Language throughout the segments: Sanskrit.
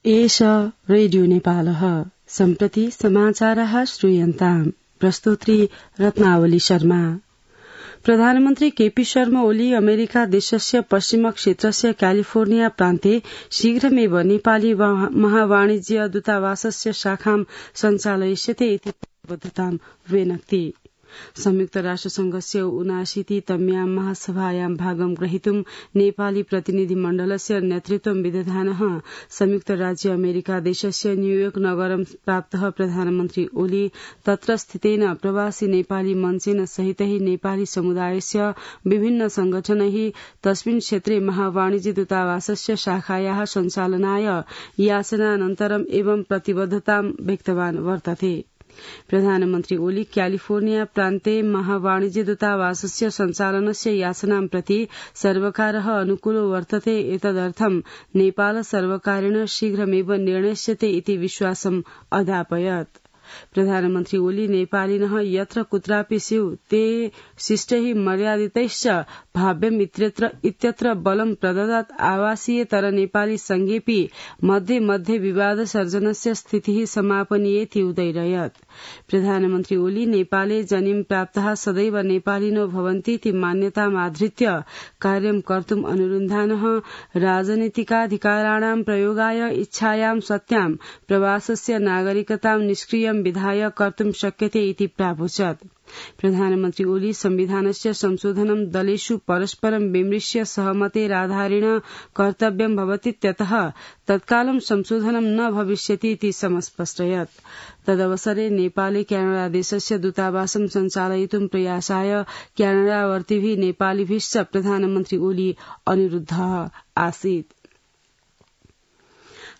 एष रेडियो नेपालः सम्प्रति समाचारः श्रूयन्ताम् प्रस्तोत्री रत्नावली शर्मा। प्रधानमन्त्री केपी शर्मा ओली अमेरिका देशस्य पश्चिम क्षेत्रस्य क्यालिफोर्निया प्रान्ते शीघ्रमेव नेपाली महावाणिज्य दूतावासस्य शाखां सञ्चालयिष्यते इति प्रतिबद्धतां व्यनक्ति। संयुक्त राष्ट्रसंघस्य 79तम्यां महासभायां भागं ग्रहीतुं नेपाली प्रतिनिधिमण्डलस्य नेतृत्वं विदधानः संयुक्त राज्य अमेरिका देशस्य न्यूयोर्क नगरं प्राप्तः प्रधानमन्त्री ओली तत्र स्थितेन प्रवासी नेपाली मञ्चेन सहितै नेपाली समुदायस्य विभिन्न संगठनैः तस्मिन् क्षेत्रे महावाणिज्य दूतावासस्य शाखायाः सञ्चालनाय याचनानन्तरम् एवं प्रतिबद्धतां व्यक्तवान् वर्तते। प्रधानमन्त्री ओली क्यालिफोर्निया प्रान्ते महावाणिज्य दूतावासस्य सञ्चालनस्य याचनां प्रति सर्वकारः अनुकूलो वर्तते एतदर्थं नेपाल सर्वकारेण शीघ्रमेव निर्णयस्यते इति विश्वासम् अदापयत्। प्रधानमन्त्री ओली नेपालिनः यत्र कुत्रापि स्युः ते शिष्टैः मर्यादितैश्च भाव्यम् इत्यत्र बलं प्रददात् आवासीयतर नेपाली संघेऽपि मध्ये मध्ये विवाद सर्जनस्य स्थितिः समापनीयेति उदैरयत्। प्रधानमन्त्री ओली नेपाले जनिं प्राप्तः सदैव नेपालिनो भवन्तीति मान्यतामाधृत्य कार्यं कर्तुम् अनुरुन्धानः राजनीतिकाधिकाराणां प्रयोगाय इच्छायां सत्यां प्रवासस्य नागरिकतां निष्क्रियं विधाय कर्तुं शक्यते इति प्रावोचत्। प्रधानमन्त्री ओली संविधानस्य संशोधनं दलेषु परस्परं विमृश्य सहमतेराधारेण कर्तव्यं भवतीत्यतः तत्कालं संशोधनं न भविष्यति इति समस्पष्टयत्। तदवसरे नेपाले क्यानाडा देशस्य दूतावासं सञ्चालयितुं प्रयासाय क्यानाडावर्तिभिः नेपालिभिश्च प्रधानमन्त्री ओली अनुरुद्धः आसीत्।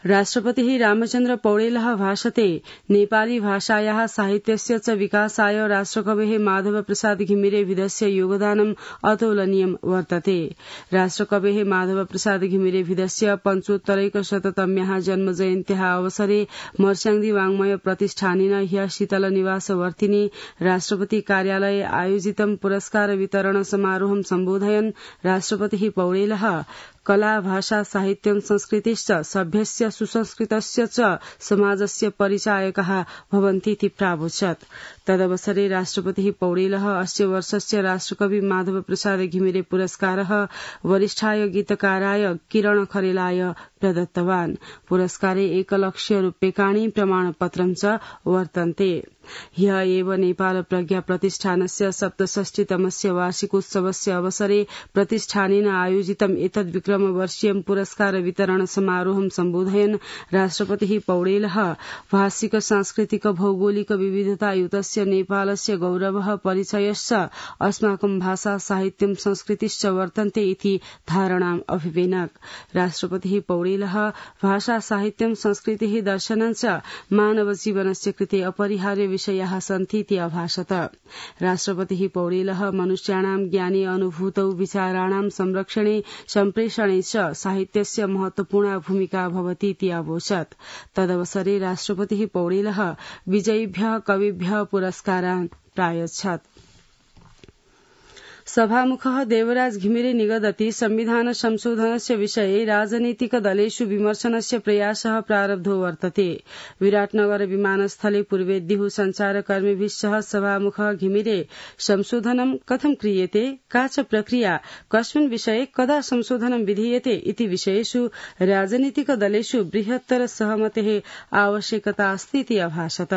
राष्ट्रपतिः रामचन्द्र पौडेलः भाषते नेपाली भाषायाः साहित्यस्य च विकासाय राष्ट्रकवेः माधव प्रसाद घिमिरेभिदस्य योगदानम् अतुलनीयं वर्तते। राष्ट्रकवेः माधव प्रसाद घिमिरेभिदस्य 75शततम्याः जन्मजयन्त्याः अवसरे मर्स्याङ्दी वाङ्मय प्रतिष्ठानेन ह्यः शीतलनिवासवर्तिनि राष्ट्रपति कार्यालये आयोजितं पुरस्कार वितरण समारोहं सम्बोधयन् राष्ट्रपतिः पौडेलः कला भाषा साहित्यं संस्कृतिश्च सभ्यस्य सुसंस्कृतस्य च समाजस्य परिचायकः भवन्तीति प्रावोचत्। तदवसरे राष्ट्रपतिः पौडेलः अस्य वर्षस्य राष्ट्रकवि माधव प्रसाद घिमिरे पुरस्कारः वरिष्ठाय गीतकाराय किरण खरेलाय प्रदत्तवान्। पुरस्कारे 1,00,000 रूप्यकाणि प्रमाणपत्रं च वर्तन्ते। ह्यः एव नेपाल प्रज्ञा प्रतिष्ठानस्य 67तमस्य वार्षिकोत्सवस्य अवसरे प्रतिष्ठानेन आयोजितम् एतद्विक्रमवर्षीयं पुरस्कार वितरण समारोहं सम्बोधयन् राष्ट्रपतिः पौडेलः भाषिक सांस्कृतिक भौगोलिक विविधतायुतस्य नेपालस्य गौरवः परिचयश्च अस्माकं भाषा साहित्यं संस्कृतिश्च वर्तन्ते इति धारणाम् अभिवेनक्। राष्ट्रपतिः पौडेलः भाषा साहित्यं संस्कृतिः दर्शनञ्च मानव जीवनस्य कृते अपरिहार्य विषयाः सन्तीति अभाषत। राष्ट्रपतिः पौडेलः मनुष्याणां ज्ञाने अनुभूतौ विचाराणां संरक्षणे सम्प्रेषणे च साहित्यस्य महत्वपूर्णा भूमिका भवतीति अवोचत्। तदवसरे राष्ट्रपतिः पौडेलः विजयिभ्यः कविभ्यः पुरस्कारान् प्रायच्छत्। सभामुखः देवराज घिमिरे निगदति संविधान संशोधनस्य विषये राजनीतिक दलेषु विमर्शनस्य प्रयासः प्रारब्धो वर्तते। विराटनगर विमानस्थले पूर्वेद्युः सञ्चारकर्मिभिः सह सभामुखः घिमिरे संशोधनं कथं क्रियते, का च प्रक्रिया, कस्मिन् विषये कदा संशोधनं विधीयते इति विषयेषु राजनीतिक दलेषु बृहत्तर सहमतेः आवश्यकता अस्ति इति अभाषत।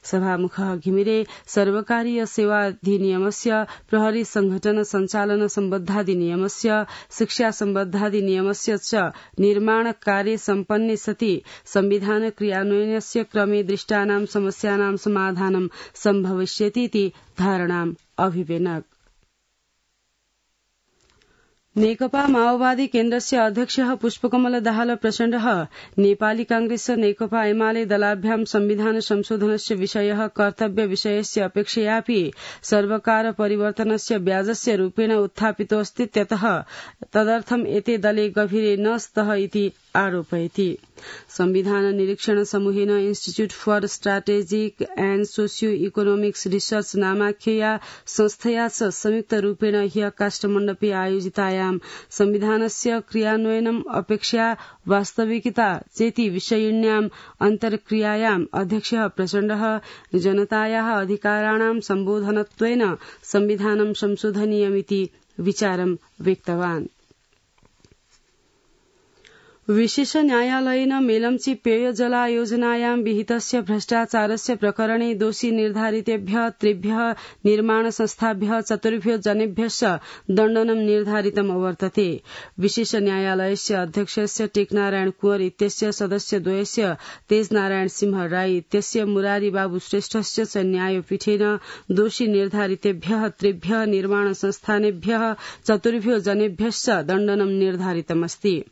सभामुखः घिमिरे सर्वकारीय सेवाधिनियमस्य, प्रहरी संघटन संचालन सम्बद्धाधिनियमस्य, शिक्षा सम्बद्धाधिनियमस्य च निर्माण कार्ये सम्पन्ने सति संविधान क्रियान्वयनस्य क्रमे दृष्टानां समस्यानां समाधानं सम्भविष्यतीति धारणाम् अभिवेनक्। नेकपा माओवादी केन्द्रस्य अध्यक्षः पुष्पकमल दाहाल प्रचण्डः नेपाली कांग्रेस नेकपा एमाले दलाभ्यां संविधान संशोधनस्य विषयः कर्तव्य विषयस्य अपेक्षयापि सर्वकार परिवर्तनस्य ब्याजस्य रूपेण उत्थापितोऽस्तीत्यतः तदर्थम् एते दले गभीरे न स्तः इति आरोपयति। संविधान निरीक्षण समूहेन Institute for Strategic and Socio Economics Research नामाख्यया संस्थया च संयुक्तरूपेण ह्य काष्ठमण्डपे आयोजितायां संविधानस्य क्रियान्वयनम् अपेक्षया वास्तविकता चेति विषयिण्याम् अन्तर्क्रियायाम् अध्यक्षः प्रचण्डः जनतायाः अधिकाराणां सम्बोधनत्वेन संविधानं संशोधनीयमिति विचारं व्यक्तवान्। विशेष न्यायालयेन मेलम्ची पेयजलायोजनायां विहितस्य भ्रष्टाचारस्य प्रकरणे दोषी निर्धारितेभ्यः 3 निर्माण संस्थाभ्यः 4 जनेभ्यश्च दण्डनं निर्धारितम् अवर्तते। विशेष न्यायालयस्य अध्यक्षस्य टेकनारायण कुंवर इत्यस्य सदस्यद्वयस्य तेजनारायण सिंह राई इत्यस्य मुरारी बाबू श्रेष्ठस्य च न्यायपीठेन दोषी निर्धारितेभ्यः 3 निर्माण संस्थानेभ्यः 4 जनेभ्यश्च दण्डनं निर्धारितमस्ति।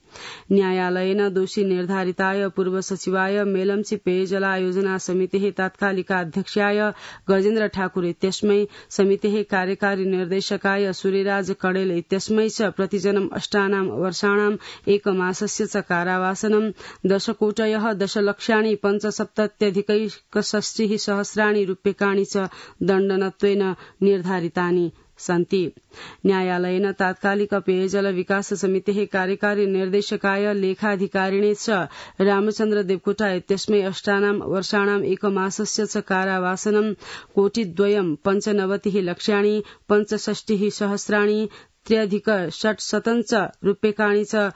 न्यायालयेन दोषी निर्धारिताय पूर्व सचिवाय मेलम्ची पेयजलायोजना समितेः तात्कालिकाध्यक्षाय गजेन्द्र ठाकुर इत्यस्मै समितेः कार्यकारी निर्देशकाय सूर्यराज कडेल इत्यस्मै च प्रतिजनम् 8 वर्षाणाम् 1 मासस्य च कारावासनं 10 कोटयः 10 लक्षाणि 75,65 सहस्राणि रूप्यकाणि च दण्डनत्वेन निर्धारितानि सन्ति। न्यायालयेन तात्कालिक पेयजल विकास समितेः कार्यकारी निर्देशकाय लेखाधिकारिणे च रामचन्द्र देवकोटा इत्यस्मै 8 वर्षाणाम् 1 मासस्य च कारावासनं 1,95 लक्षाणि 65 सहस्राणि 3,600 रूप्यकाणि च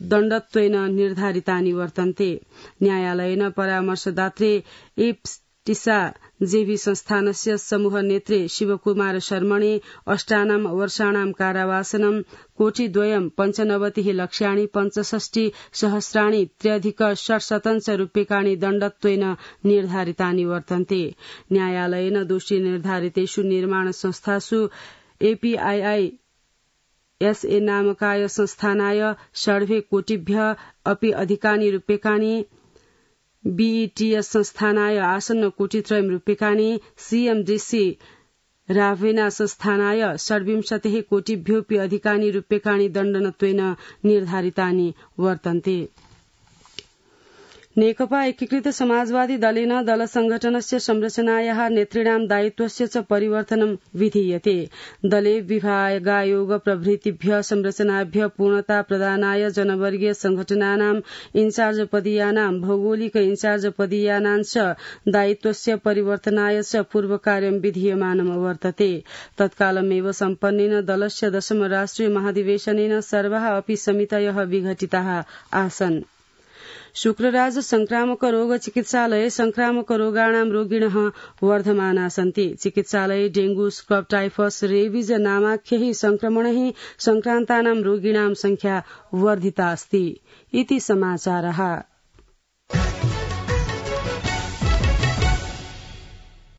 दण्डत्वेन निर्धारितानि वर्तन्ते। न्यायालयेन परामर्शदात्रे टिसा जेभी संस्थानस्य समूह नेत्रे शिवकुमार शर्मणे 8 वर्षाणां कारावासनं 1,95 लक्षाणि 65 सहस्राणि 3,600 रूप्यकाणि दण्डत्वेन निर्धारितानि वर्तन्ते। न्यायालयेन दोषी निर्धारितेषु निर्माण संस्थासु एपीआईआई एसए नामकाय संस्थानाय 2.5 कोटिभ्यः अपि अधिकानि रूप्यकाणि, बीईटीएस संस्थानाय आसन्न 1,03 रूप्यकाणि, सीएमडीसी रावेना संस्थानाय 27 कोटिभ्योऽपि अधिकानि रूप्यकाणि दण्डनत्वेन निर्धारितानि वर्तन्ते। नेकपा एकीकृत समाजवादी दलेन दल संघटनस्य संरचनायाः नेतॄणां दायित्वस्य च परिवर्तनं विधीयते। दले विभागायोग प्रभृतिभ्यः संरचनाभ्यः पूर्णता प्रदानाय जनवर्गीय संघटनानां इन्चार्ज पदीयानां भौगोलिक इन्चार्ज पदीयानां च दायित्वस्य परिवर्तनाय च पूर्वकार्यं विधीयमानं वर्तते। तत्कालमेव सम्पन्नेन दलस्य 10 राष्ट्रिय महाधिवेशनेन सर्वाः अपि समितयः विघटिताः आसन्। शुक्रराज संक्रामक रोग चिकित्सालये संक्रामक रोगाणां रोगिणः वर्धमाना सन्ति। चिकित्सालये डेंगू, स्क्रब टाइफस, रेबीज नामाख्यैः संक्रमणैः संक्रान्तानां रोगिणां संख्या वर्धिता अस्ति। इति समाचारः।